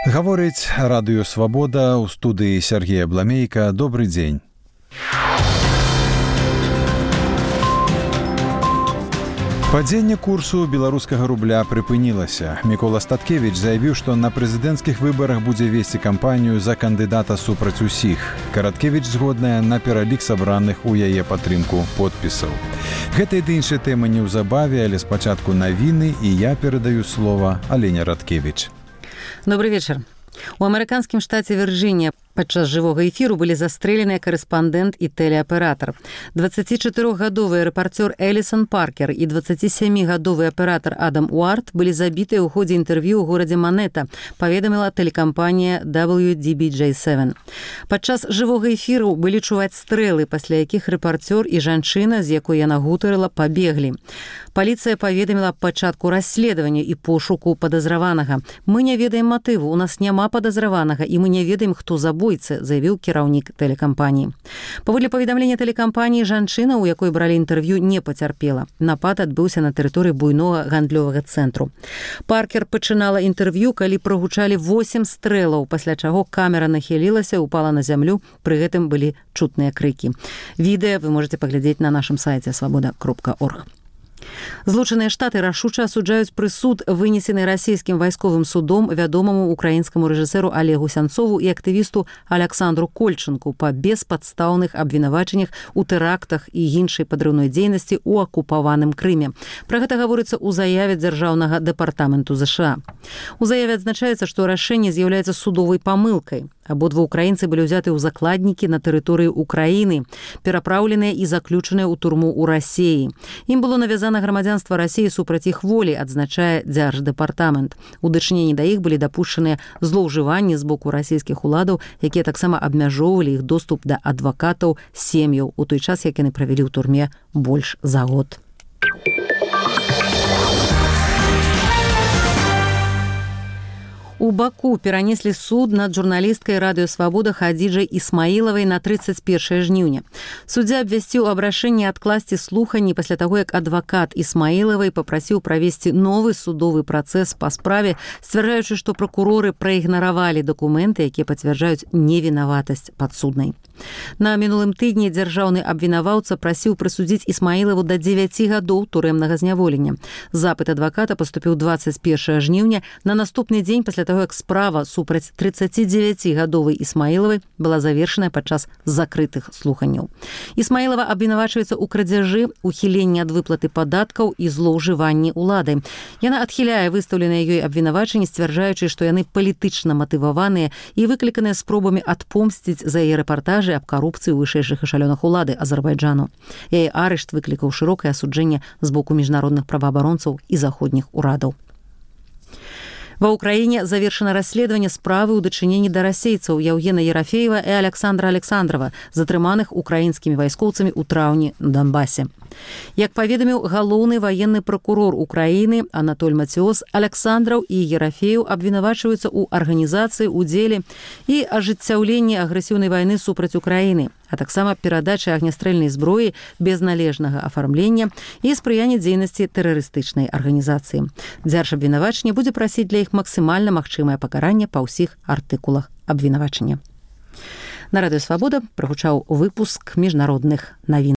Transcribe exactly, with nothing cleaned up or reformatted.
Гаворыць радыё «Свабода», у студыі Сергея Бламейка. Добры дзень. Падзенне курсу беларускага рубля прыпынілася. Мікола Статкевіч заявіў, што на прэзідэнцкіх выбарах будзе весці кампанію за кандыдата супраць усіх. Караткевіч згодная на пералік сабраных у яе падтрымку подпісаў. Гэта і іншыя тэмы неўзабаве, але спачатку навіны, і я перадаю слова Алене Радкевіч. Добрый вечер. У амерыканскім штаце Вірджынія падчас жывога эфіру былі застрэленыя карэспандэнт і тэлеаператар. дваццацічатырохгадовы рэпарцёр Элісон Паркер і дваццацісямігадовы аператар Адам Уарт былі забітыя ў ходзе інтэрв'ю ў горадзе Манета, паведаміла тэлекампанія дабл ю ди би джей севен. Падчас жывога эфіру былі чуваць стрэлы, пасля якіх рэпарцёр і жанчына, з якой яна гутарыла, пабеглі. Паліцыя паведаміла аб пачатку расследавання і пошуку падазраванага. Мы не ведаем матыву, у нас няма падазраванага, і мы не ведаем, хто забойцы, заявіў кіраўнік тэлекампаніі. Паводле паведамлення тэлекампаніі, жанчына, у якой бралі інтэрв'ю, не пацярпела. Напад адбыўся на тэрыторыі буйнога гандлёвага цэнтру. Паркер пачынала інтэрв'ю, калі прагучалі восем стрэлаў, пасля чаго камера нахілілася, упала на зямлю, пры гэтым былі чутныя крыкі. Відэа вы можете паглядзець на нашым сайце свабода кропка орг. Злучаныя Штаты рашуча асуджаюць прысуд, вынесены расійскім вайсковым судом вядомаму украінскаму рэжысэру Олегу Сянцову і актывісту Аляксандру Кольчынку па беспадстаўных абвінавачаннях у тэрактах і іншай падрыўной дзейнасці ў акупаваным Крыме. Пра гэта гаворыцца ў заяве дзяржаўнага дэпартаменту ЗША. У заяве адзначаецца, што рашэнне з'яўляецца судовай памылкай. Абодва украінцы былі ўзяты ў закладнікі на тэрыторыі Украіны, перапраўленыя і заключаныя ў турму ў Расіі. Ім было навязана грамадзянства Расіі супраць іх волі, адзначае дзярждэпартамент. У дачыненні да іх былі дапушчаныя злоўжыванні з боку расійскіх уладаў, якія таксама абмяжоўвалі іх доступ да адвакатаў сем'яў у той час, як яны правялі ў турме больш за год. У Баку перанеслі суд над журналісткай радыё «Свабода» Хадзіджай Ісмаілавай на трыццаць першае жніўня. Суддзя абвясціў аб рашэнні адкласці слуханні пасля таго, як адвакат Ісмаілавай папрасіў правесці новы судовы працэс па справе, сцвярджаючы, што пракуроры праігнаравалі дакументы, якія пацвярджаюць невінаватасць падсуднай. На мінулым тыдні дзяржаўны абвінаваўца прасіў прысудзіць Ісмаілаву да дзевяці гадоў турэмнага зняволення. Запыт адваката паступіў дваццаць першага жніўня, на наступны дзень пасля таго, як справа супраць трыццацідзевяцігадовай Ісмаілавай была завершаная падчас закрытых слуханняў. Ісмаілава абвінавачваецца ў крадзяжы, ухіленні ад выплаты падаткаў і злоўжыванні ўладай. Яна адхіляе выстаўленыя ёй абвінавачанні, сцвярджаючы, што яны палітычна матываваныя і выкліканыя спробамі адпомсціць за яе рэпартажы аб карупцыі ў вышэйшых эшалёнах улады Азербайджану. Яе арышт выклікаў шырокае асуджэнне з боку міжнародных праваабаронцаў і заходніх урадаў. Ва ўкраіне завершана расследаванне справы ў дачыненні да расейцаў Яўгена Ерафеева і Аляксандра Александрова, затрыманых украінскімі вайскоўцамі ў траўні на Донбасе. Як паведаміў галоўны ваенны пракурор Украіны Анатоль Мацёс, Аляксандраў і Ерафееў абвінавачваюцца ў арганізацыі, удзеле і ажыццяўленні агрэсіўнай вайны супраць Украіны, а таксама перадачы агнястрэльнай зброі без належнага афармлення і спрыяння дзейнасці тэрарыстычнай арганізацыі. Дзяржабвінавачанне будзе прасіць для іх максімальна магчымае пакаранне па ўсіх артыкулах абвінавачання. На радыё «Свабода» прагучаў выпуск міжнародных навін.